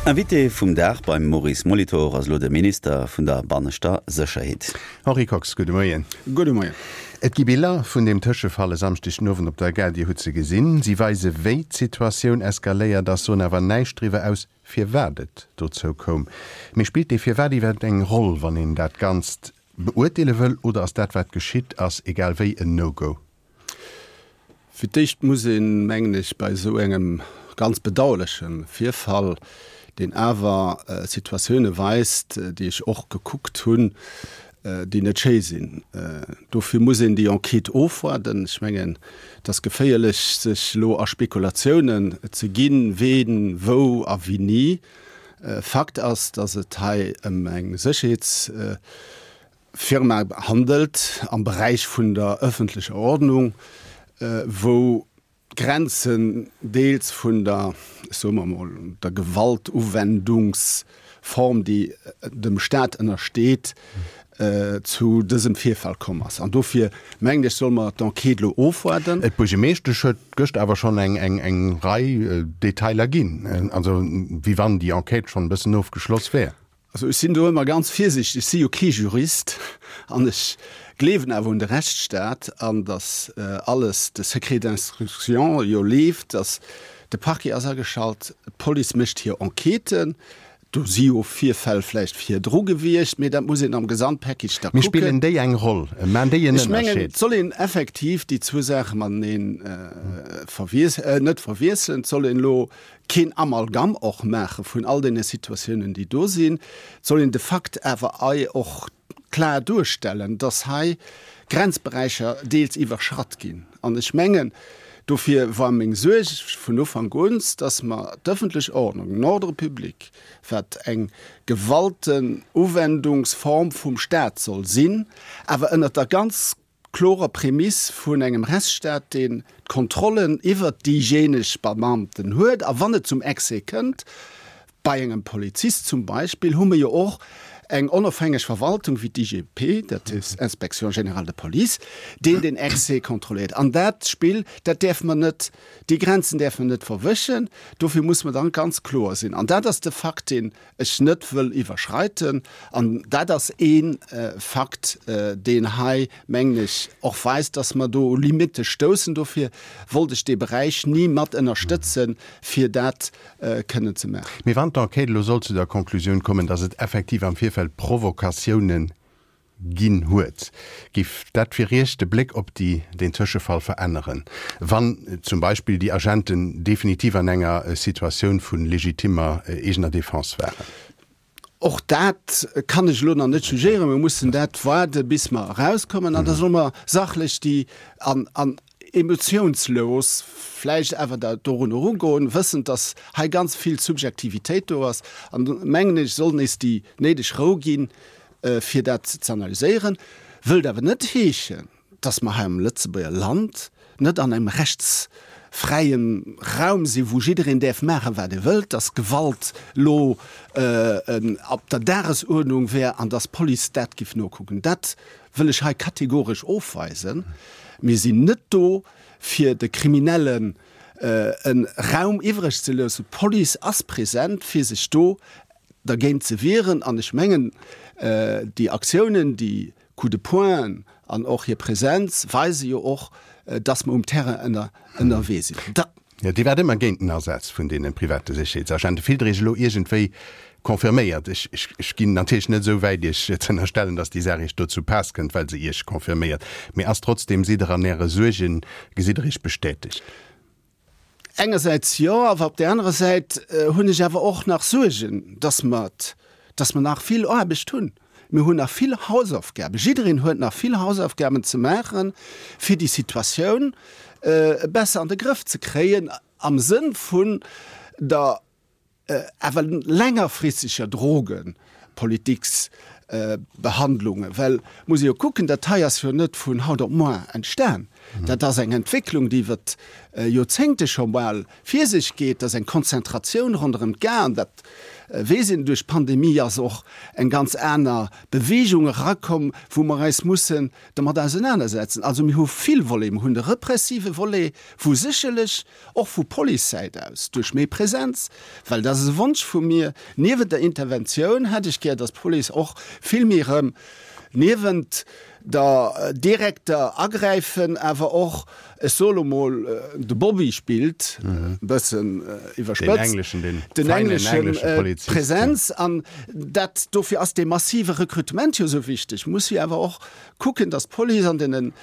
Invité vum Dag beim Maurice Molitor ass elo de Minister vun der banneschter Sécherheet. Henri Kox, gudde Moien. Gudde Moien. Et gi Biller vun deem Tëschefall e Samschdeg den Owend op der Gare. Dir hutt se gesinn. Si weise wéi d'Situatioun eskaléiert ass, soen awer näischt driwwer aus, firwat et dozou koum. Mee spillt dee Firwat iwwerhaapt eng Roll, wann een dat Ganzt beurteele wëll, oder ass dat wat geschitt ass, egal wéi, en No-Go? Fir d'éischt muss een, mengen ech, bei esou engem ganz bedauerleche Virfall, deen awer Situatioune weist, déi ech och gekuckt hunn, déi net schéi sinn, dofir muss een déi Enquête ofwaarden. Ech mengen, et ass geféierlech, sech elo a Spekulatiounen ze ginn, ween, wou a wéini. Fakt ass, datt et hei ëm eng Sécherheets. Firma handelt am Beräich vun der ëffentlecher Ordnung, wou d'Grenzen deels vun der, ech soe mer emol, der Gewaltuwendungsform, déi dem Stat ënnersteet, zu dësem Virfall komm ass. An dofir mengen ech, solle mer d'Enquête elo ofwaarden. D'Buergemeeschtesch huet gëscht awer schonn eng Rei Detailer ginn, also wéi wann déi Enquête schonn e bëssen ofgeschloss wär. Also ech sinn do ëmmer ganz virsiichteg, ech si jo kee Jurist an ech gleewen awer un de Rechtsstaat an datt alles, de Secret d'instruction jo leeft, datt de Parquet ass ageschalt, d'Police mécht hir Enquêten, do si jo Virfäll vläicht virdru gewiescht, mee dat muss een am Gesamtpackage da kucken. Mee spillen déi eng Roll? Maan déi en Ech mengen, Ënnerscheed? et soll een effektiv déi zwou Saache mateneen net verwiesselen. Et soll een elo keen Amalgam och maache vun all deene Situatiounen, déi do sinn. Et soll een de Fakt awer ei och klar duerstellen, dass hei Grenzberäicher deels iwwerschratt ginn. An ech mengen, dofir war meng Suerg vun Ufank un, dass mer d'ëffentlech Ordnung, den Ordre public, wat eng Gewaltenuwendungsform vum Stat soll sinn, awer ënnert der ganz klorer Prämiss vun engem Rechtsstaat, deen d'Kontrollen iwwert déijéineg Beamten huet, a wann et zum Excès kënnt, bei engem Polizist zum Beispill, hu mir jo och eng onofhängeg Verwaltung wéi d'IGP, dat ass Inspection générale de police, deen den Excès kontrolléiert. An dat Spill, dat däerfe mer net, déi Grenzen däerfe mer net verwëschen. Dofir muss mer dann ganz kloer sinn. An dat ass de Fakt, deen ech net wëll iwwerschreiten. An dat ass ee Fakt, deen hei, mengen ech, och weist, dass mer do u Limitte stoussen. Dofir wollt ech dee Beräich ni mat ënnerstëtzen, fir dat kënnen ze maachen. Mee wann d'Enquête elo sollt zu der Konklusioun kommen, dass et effektiv am Virfeld Provokatiounen Ginn huet. Giff dat fir Iech de Bléck op déi deen Tëschefall veränneren, wann zum Beispill déi Agenten definitiv an enger Situatioun vu legitimmer eegener Defense waren? Och dat kann ech elo nach net jugéieren. Mir mussen dat waarde bis mer erauskommen an da solle mer sachlech déi an an emotiounslos vläicht awer da dorun erugoen, wëssend, datt hei ganz vill Subjektivitéit do ass. An do mengen ech, soll nees déi néideg Rou ginn, fir dat ze analyséieren. Wëllt awer net heeschen, datt mer hei am Lëtzebuerger Land net an engem rechtsfräie Raum sinn, wou jiddereen däerf maachen, wat e wëllt, datt Gewalt elo op der Dagesuerdnung wär an datt d'Police dat giff nokucken. Dat wëll ech hei kategoresch ofweisen. Mir sinn net do, fir de Kriminellen e Raum iwwreg ze loossen. D'Police ass present, fir sech do dergéint ze wieren. An ech mengen, déi Aktiounen, déi Coups de poing an och hir Präsenz weise jo och, dass mer um Terrain ënnerwee sinn. Jo, Dir waart ëmmer géint den Asaz vun deene private Sécherheetsagenten. Fillt Der Iech elo iergendwéi confirméiert? Ech, ech ginn natierlech net esou wäit, Iech ze ënnerstellen, dass déi Saach Iech do zu Paass kënnt, well se Iech confirméiert. Mee ass trotzdem, sidd Der an Äre Suergen, gesitt Der Iech bestätegt? Engersäits jo, awer op där anerer Säit hunn ech awer och nach Suergen, dass mer, dass mer nach vill Aarbecht hunn. Mir hunn nach vill Hausaufgaben. Jiddereen huet nach vill Hausaufgaben ze maachen, fir déi Situatioun besser an de Grëff ze kréien am Sënn vun der awer längerfristeger Drogepolitiksbehandlungen, well muss ee jo kucken, dat hei ass jo net vun haut op moar entstan. Dat ass eng Entwécklung, déi iwwer Joerzéngte scho bal vir sech geet. Dat ass eng Konzentratioun ronderëm d'Gare. An dat weess een, duerch d'Pandemie ass och eng ganz aner Beweegung erakomm, wou mer eis mussen domat ausenanersetzen. Also mir hu vill Voleten. Mir hunn de repressive Volet, wou sécherlech och vu Policesäit aus duerch méi Präsenz, well dat ass e Wonsch vu mir, niewent der Interventioun hätt ech gär, datt d'Police och vill méi erëm niewent der direkter Agräifen awer och, ech soe lo mol, de Bobby spillt, e bëssen iwwerspëtzt, den engleschen, d'Präsenz. An dat, dofir ass dee massive Rekrutement jo esou wichteg, muss jo awer och kucken, datt d'Police an deenen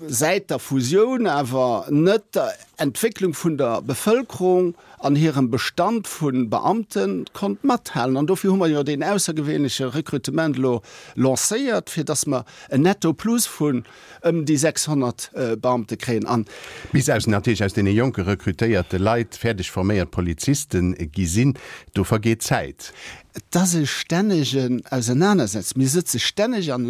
säit der Fusioun awer net der Entwécklung vun der Bevëlkerung an hirem Bestand vu Beamte konnt mathalen. An dofir hu mer jo deen aussergewéinleche Rekrutement elo lancéiert, fir datt mer en Netto plus vun ëm déi 600 Beamte kréien. An. Bis aus natierlech aus deene jonke rekrutéierte Leit fäerdeg forméiert Poliziste gi sinn, do vergeet Zäit. Et ass e stännegen Ausenanersetzen. Mir sëtze stänneg an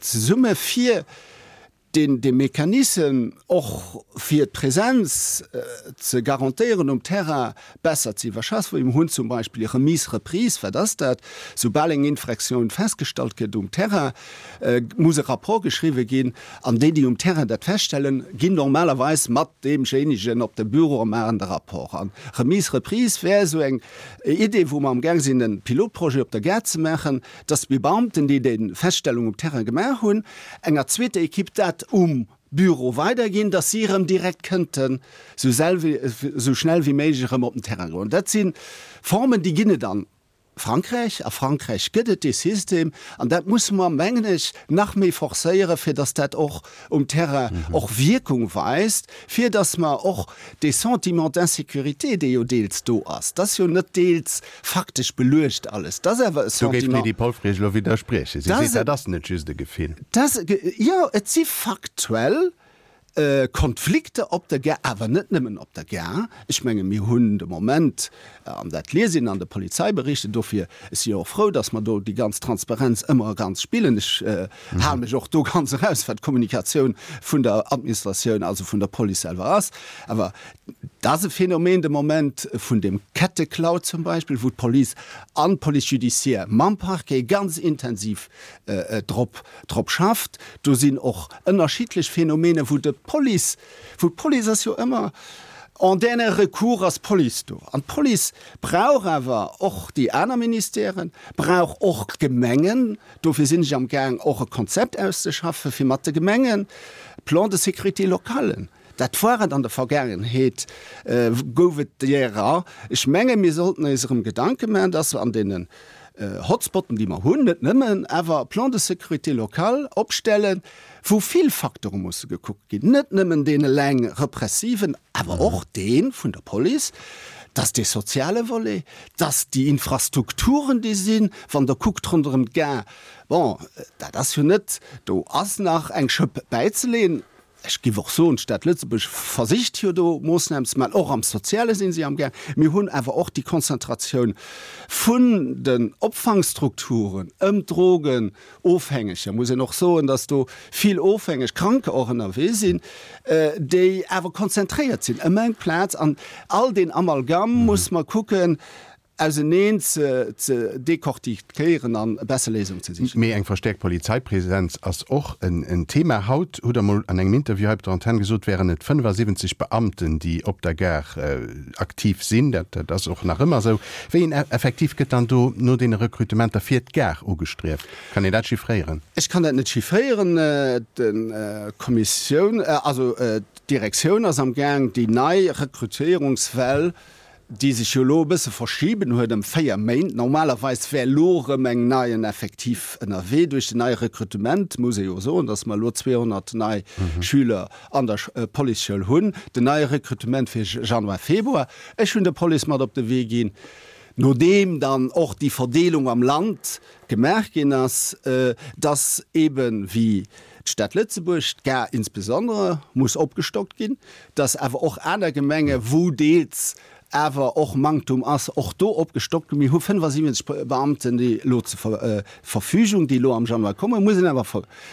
zesumme fir deen dee Mechanissem och fir d'Präsenz ze garantéieren um Terrain besser ze iwwerschaffen. Mir hunn zum Beispill Remise-reprise. Wat ass dat? Soubal eng Infraction festgestallt gëtt um Terrain, muss e Rapport geschriwwe ginn an déi, déi um Terrain dat feststellen, ginn normalerweis mat deemjéinegen op de Büro a maachen de Rapport. An Remise-reprise wär esou eng Idee, wou mer amgaang sinn e Pilotprojet op der Gare ze maachen, dass déi Beamten, déi déi Feststellung um Terrain gemaach hunn, enger zweeter Equipe dat um Büro weiderginn, dass si erëm direkt kënnten esou schnell wéi méiglech erëm op den Terrain goen. Dat si Formen, déi ginn et an Frankräich. A Frankräich gëtt et dee System an dat musse mer, mengen ech, nach méi forcéieren, fir dass dat och um Terrain och Wierkung weist, fir dass mer och dee Sentiment d'insécurité, dee jo deels do ass, dat ass jo net deels faktesch beluecht alles, dat ass awer e Do géif Sentiment. d'Lydie Polfer elo widderspriechen. Si seet, dat ass net just e Gefill. Dat, jo, et si faktuell Konflikter op der Gare, awer net nëmmen op der Gare. Ech menge mir hunn de Moment, an dat liest een an de Polizeiberichten, dofir, ech si jo och frou, datt mer do déi ganz Transparenz ëmmer ganz spillen, ech hale mech och do ganz eraus, wat d'Kommunikatioun vun der Administratioun, also vun der Police selwer ass, awer et ass e Phänomen de Moment vun dem Ketteklau zum Beispill, wou d'Police an d'Police judiciaire mam Parquet ganz intensiv drop drop schafft. Do sinn och ënnerschiddlech Phänomene wou de Police, wou d'Police ass jo ëmmer en dernier recours ass d'Police do. An d'Police brauch awer och déi aner Ministèren, brauch och d'Gemengen. Dofir sinn ech am Gaang och e Konzept auszeschaffen, fir mat de Gemengen Plan de sécurité locale, dat war et an der Vergaangenheet, gouf et därer. Ech menge mir sollten eis erëm Gedanke maachen, dass an deenen Hotspotten, déi mer hunn, net nëmmen, awer Plan de sécurité locale opstellen, wou vill Facteure musse gekuckt ginn, net nëmmen deen eleng repressiven, awer och dee vun der Police, dass dee soziale Volet, dass déi Infrastrukturen, déi sinn, wann Der kuckt ronderëm d'Gare, bon, dat ass jo net, do ass nach eng Schëpp bäizeleeën. Ech géif och soen, d'Stad Lëtzebuerg versicht jo do Moossnamen ze maachen, och am Soziale si si amgaang. Mir hunn awer och déi Konzentratioun vun den Opfangstrukturen ëm d'Drogenofhängeger, muss een och soen, datt do vill ofhängeg Kranker och ënnerwee sinn, déi awer konzentréiert sinn ëm eng Plaz. An all deen Amalgam muss mer kucken, auseneen ze decortiquéieren an besser Léisungen ze sichen. Mee eng verstäerkt Polizeipräsenz ass och en Thema. Haut hutt Der mol an engem Interview hei op der Antenn gesot, wären et 75 Beamten, déi op der Gare aktiv sinn. Dat ass och nach ëmmer esou. Wéi een Effektiv gëtt dann do no deene Rekrutementer fir d'Gare ugestrieft? Kann een dat chiffréieren? Ech kann dat net chiffréieren. D'Kommissioun, also d'Direktioun ass am Gaang, déi nei Rekrutéierungswell déi sech jo elo e bësse verschiben huet ëm 4 Méint. Normalerweis wär elo erëm eng neien Effektiv ënnerwee. Duerch den neie Rekrutement muss ee jo soen, datt mer elo 200 nei Schüler an der Policeschoul hunn. Den neie Rekrutement fir Januar, Februar. Ech hunn der Police mat op de Wee ginn, nodeem dann och déi Verdeelung am Land gemaach ginn ass, datt eebe wéi d'Stad Lëtzebuerg, d'Gare insbesondere, muss opgestockt ginn, dass awer och aner Gemenge wou deels awer och Manktum ass, och do opgestockt ginn. Mir hu 75 Beamten, déi elo zur Verfügung, déi elo am Januar kommen. Muss een awer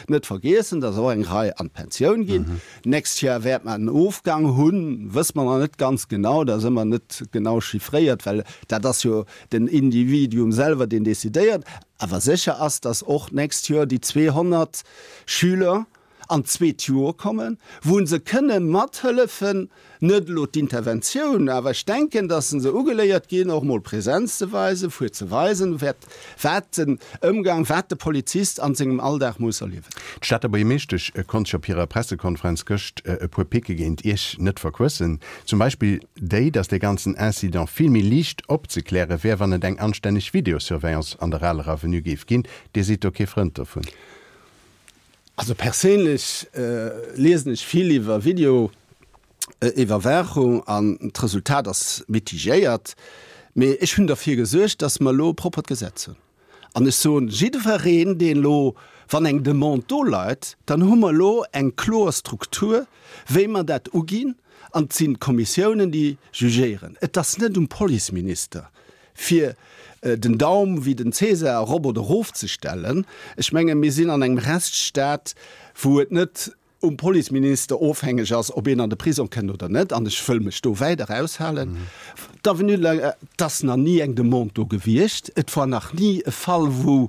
net vergiessen, dass och eng Rei an d'Pensioun ginn. D'nächst Joer wäert mer en Ofgang hunn, wësse mer nach net ganz genau, dat ass ëmmer net genau chiffréiert, well dat ass jo den Individuum selwer, deen decidéiert. Awer sécher ass, dass och d'nächst Joer déi 200 Schüler an d'zweet Joer kommen, wou se kënne mathëllefen, net elo d'Interventioun, awer ech denken, dass se ugeléiert ginn, och mol Präsenz ze weisen, fir ze weisen, wat den Ëmgang, wat de Polizist an sengem Alldag muss erliewen. D'Stater Buergermeeschtesch konnt sech op hirer Pressekonferenz gëscht e puer Picke géint Iech net verquëssen. Zum Beispill déi, datt dee ganzen Incident vill méi liicht opzekläre wär, wann et eng anstänneg Videosurveillance an der Aler Avenue géif ginn. Dir sidd do kee Frënd dovun? Also perséinlech liesen ech vill iwwer Videoiwwerwaachung an d'Resultat ass mitigéiert. Mee ech hunn derfir gesuergt, datt mer elo e proppert Gesetz hunn. An ech soen jiddwereen, deen elo, wann eng Demande do leit, dann hu mer elo eng kloer Struktur, wéi mer dat uginn. An et sinn d'Kommissiounen, déi jugéieren. Et ass net um Policeminister, fir den Daum wéi den Cäsar erop oder erof ze stellen. Ech menge mir sinn an engem Rechtsstaat, wou et net um Policeminister ofhängeg ass, ob een an de Prisong kënnt oder net. An ech wëll mech do wäit eraushalen. D'Avenue de la, et ass nach ni eng Demande do gewiescht. Et war nach ni e Fall, wou,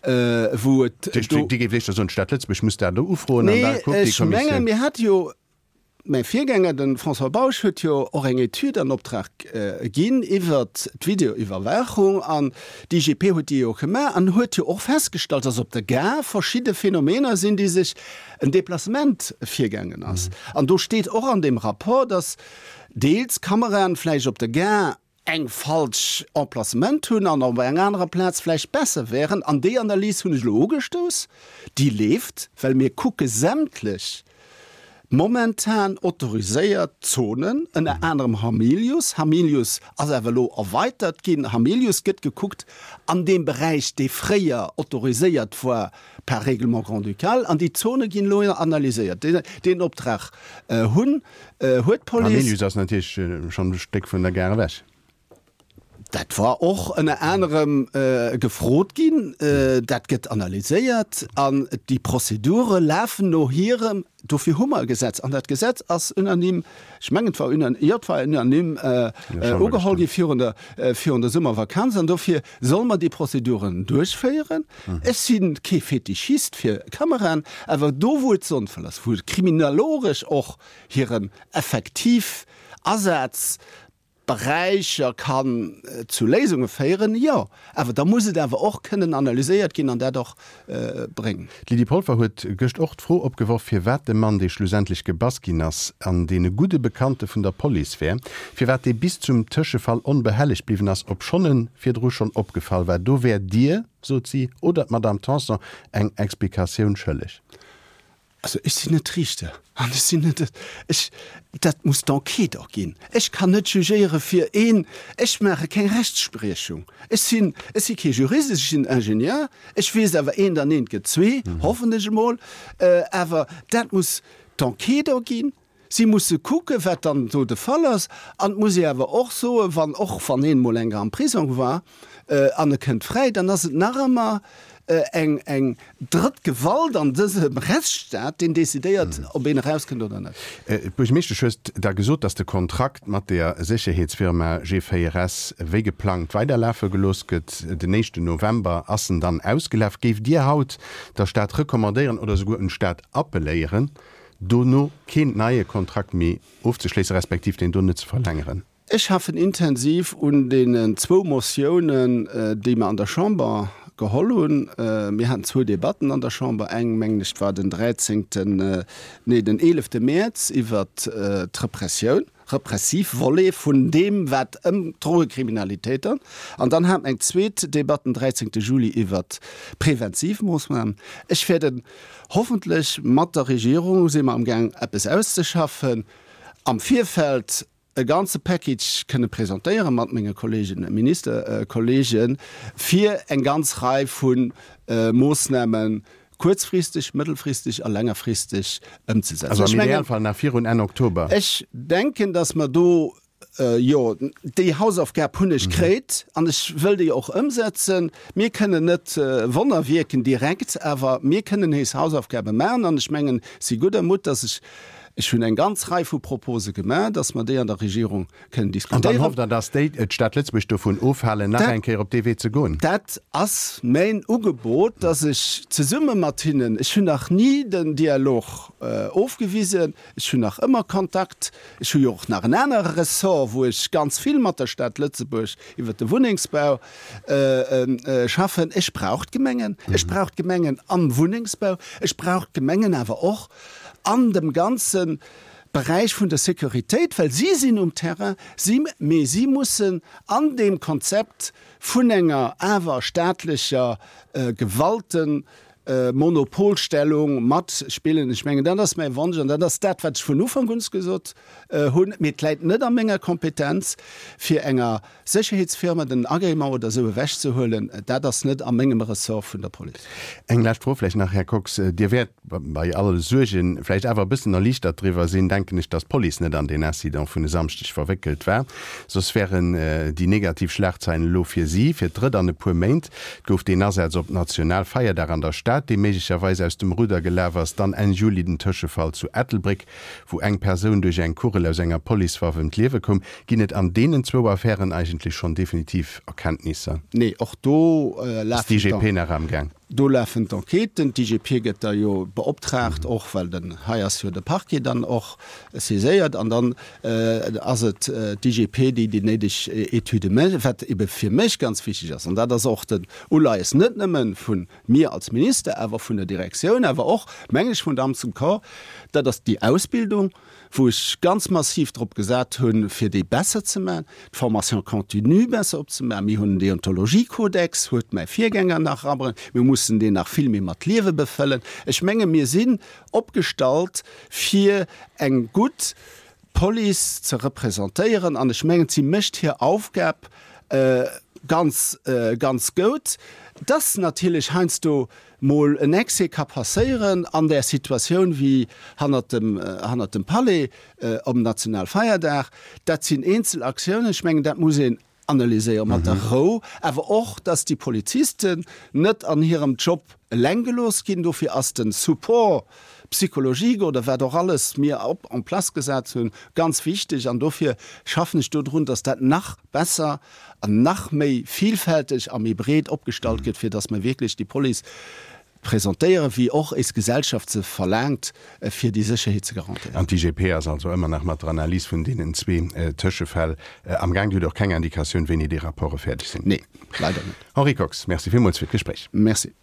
wou et do. Dir géift éischter soen, d'Stad Lëtzebuerg muss dat elo ufroen an da kuckt déi Kommissioun. Nee, ech menge mir hate jo Mäi Virgänger, de François Bausch, huet jo och eng Etüd an Optrag ginn iwwert d'Videoiwwerwaachung an d'IGP huet déi jo gemaach an huet jo och festgestallt, dass op der Gare verschidde Phänomener sinn, déi sech en Déplacement virgaangen ass. An do steet och an deem Rapport, dass deels Kameraen vläicht op der Gare eng falsch Emplacement hunn an op enger anerer Plaz vläicht besser wären. An déi Analys hunn ech elo ugestouss, déi leeft, well mir kucke sämtlech momentan autoriséiert Zonen, ënner anerem Hamilius. Hamilius ass awer elo erweitert ginn. Hamilius gëtt gekuckt an deem Beräich, dee fréier autoriséiert war par Règlement grand-ducal, an déi Zone ginn elo analyséiert. Deen Optrag hunn huet d'Police. Hamilius ass natierlech schonn e Stéck vun der Gare ewech. Dat war och ënner anerem gefrot ginn. Dat gëtt analyséiert an déi Prozedure lafen no hirem. Dofir hu mer e Gesetz an dat Gesetz ass unanime, ech mengen et war unanime, jo et war unanime ugeholl gi virun der, virun der Summervakanz an dofir solle mer déi Prozeduren duerchféieren. Ech si kee Fetischist fir Kameraen, awer do wou et sonnvoll ass, wou et kriminaloresch och hiren effektiv Asaz Beräicher kann zu Léisunge féieren, jo, awer da muss et awer och kënnen analyséiert ginn an dat och bréngen. D'Lydie Polfer huet gëscht och d'Fro opgeworf, firwat de Mann, dee schlussendlech gebass ginn ass an deen e gudde Bekannte vun der Police wär, firwat dee bis zum Tëschefall onbehellegt bliwwen ass, obschonn en virdru schonn opgefall war. Do wäert Dir, sot si, oder d'Madame Tanson eng Explikatioun schëlleg. Also ech sinn net Riichter an ech sinn net, ech, dat muss d'Enquête erginn. Ech kann net jugéiere fir een, ech maache keng Rechtsspriechung. Ech sinn, ech si kee Jurist, ech sinn Ingenieur. Ech weess awer, eent an eent gëtt zwee, hoffen ech emol. Awer dat muss d'Enquête erginn. Si musse kucken, wat dann do de Fall ass. An et muss ee awer och soen, wann, och wann een emol eng am Prisong war an e kënnt fräi, dann ass et nach ëmmer eng, eng drëtt Gewalt an dësem Rechtsstaat, deen decidéiert, ob een erauskënnt oder net. D'Buergermeeschtesch huet da gesot, datt de Kontrakt mat der Sécherheetsfirma G4S wéi geplangt weiderlafe gelooss gëtt. Den éischten November ass en dann ausgelaf. Géift Dir haut der Stad recommandéieren oder souguer un d'Stad appelléieren, dono keen neie Kontrakt méi ofzeschléissen, respektiv deen do net ze verlängeren. Ech schaffen intensiv un deenen zwou Motiounen, déi mer an der Chamber geholl hunn. Mir haten zwou Debatten an der Chamber, eng, mengen ech, war den dräizéngten, nee, den eelefte Mäerz iwwert d'Repressioun. repressiv Volet vun deem, wat ëm d'Drogekriminalitéit an. An dann hate mer eng zweet Debatt den 13. Juli iwwert präventiv Moossnamen. Ech wäerten hoffentlech mat der Regierung, si mer amgaang eppes auszeschaffen, am Virfeld e ganze Package kënne presentéiere mat menge Kollegen, Ministerkollegen, fir eng ganz Rei vu Moossnamen kuerzfristeg, mëttelfristeg a längerfristeg ëmzesetzen. Also am Idealfall nach virun Enn Oktober. Ech denken, datt mer do. Jo, déi Hausaufgab hunn ech kréit an ech wëll déi och ëmsetzen. Mir kënnen net Wonner wierken direkt, awer mir kënnen nees Hausaufgabe maachen an ech mengen, si gudder Mutt, dass ech, ech hunn eng ganz Rei vu Propose gemaach, dass mer déi an der Regierung kënnen diskutéieren. An dann hofft Der, dass déi d'Stad Lëtzebuerg dovun ofhalen, nach eng Kéier op dee Wee ze goen? Dat ass mäin Ugebot, dass ech zesumme mat hinnen, ech hunn nach ni den Dialog ofgewisen, Ech hunn nach ëmmer Kontakt. Ech hu jo och nach en anere Ressort, wou ech ganz vill mat der Stad Lëtzebuerg iwwert de Wunnengsbau schaffen. Ech brauch d'Gemengen. Ech brauch d'Gemengen am Wunnengsbau. Ech brauch d'Gemengen awer och an dem ganze Beräich vun der Sécuritéit, well si sinn um Terrain, si, mee si mussen an deem Konzept vun enger awer staatlecher Gewalten, Monopolstellung mat spillen. Ech mengen, dat ass mäi Wonsch an dat ass dat, wat ech vun Ufank un gesot hunn. Mee et läit net a menger Kompetenz, fir enger Sécherheetsfirma den Agrément oder esou ewechzehuelen. Dat ass net a mengem Ressort vun der Police. Eng lescht Fro vläicht nach, Här Kox. Dir wäert bei alle Suergen vläicht awer e bëssen erliichtert driwwer sinn, denken ech, datt d'Police net an deen Incident vun e Samschdeg verwéckelt war. Soss wären déi negativ Schlagzeilen elo fir si fir d'drëtt an e puer Méint. Et gouf deen Asaz op Nationalfeierdag an der Stad, dee méiglecherweis aus dem Rudder gelaf ass, dann Enn Juli den Tëschefall zu Ettelbréck, wou eng Persoun duerch eng Kugel aus enger Policewaff ëm d'Liewe koum. Ginn et an deenen zwou Affären eigentlech schonn definitiv Erkenntnisser? Nee, och do lafen. Ass d'IGP nach amgaang? Do lafen d'Enquêten. D'IGP gëtt da jo beoptraagt, och well den, hei ass jo de Parquet dann och saiséiert, an dann ass et d'IGP, déi déi néideg Etüde mécht. Wat ebe fir mech ganz wichteg ass, an dat ass och den Uleies net nëmme vu mir als Minister, awer vun der Direktioun, awer och, meng ech, vun der Amts und Corps, dat ass déi Ausbildung, wou ech ganz massiv drop gesat hunn, fir déi besser ze maachen, d'Formation continue besser opzemaachen. Mir hunn en Deontologiekodex, huet mäi Virgänger nach erabruecht. Mir mussen deen nach vill méi mat Liewe befëllen. Ech menge mir sinn opgestallt, fir eng gutt Police ze representéieren an ech mengen, si mécht hir Aufgab ganz, ganz gout. Dass natierlech heiansdo mol en Excès ka passéieren an där Situatioun wéi hannert dem, hannert dem Palais om Nationalfeierdag, dat sinn eenzel Aktiounen. Ech mengen, dat muss een analyséiere mat der Rou, awer och, dass déi Polizisten net an hirem Job eleng gelooss ginn. Dofir ass de Support psychologique oder wat och alles mir op en place gesat hunn, ganz wichteg. An dofir schaffen ech dodrun, dass dat nach besser an nach méi vielfälteg a méi breet opgestallt gëtt, fir dass mer wierklech déi Police presentéieren, wéi och éis Gesellschaft se verlaangt, fir déi Sécherheet ze garantéieren. An d'IGP ass also ëmmer nach mat der Analys vun deenen zwee Tëschefäll amgaang. Dir hutt och keng Indikatioun, wéini déi Rapporte fäerdeg sinn? Nee, leider net. Henri Kox, Merci villmools fir d'Gespréich. Merci.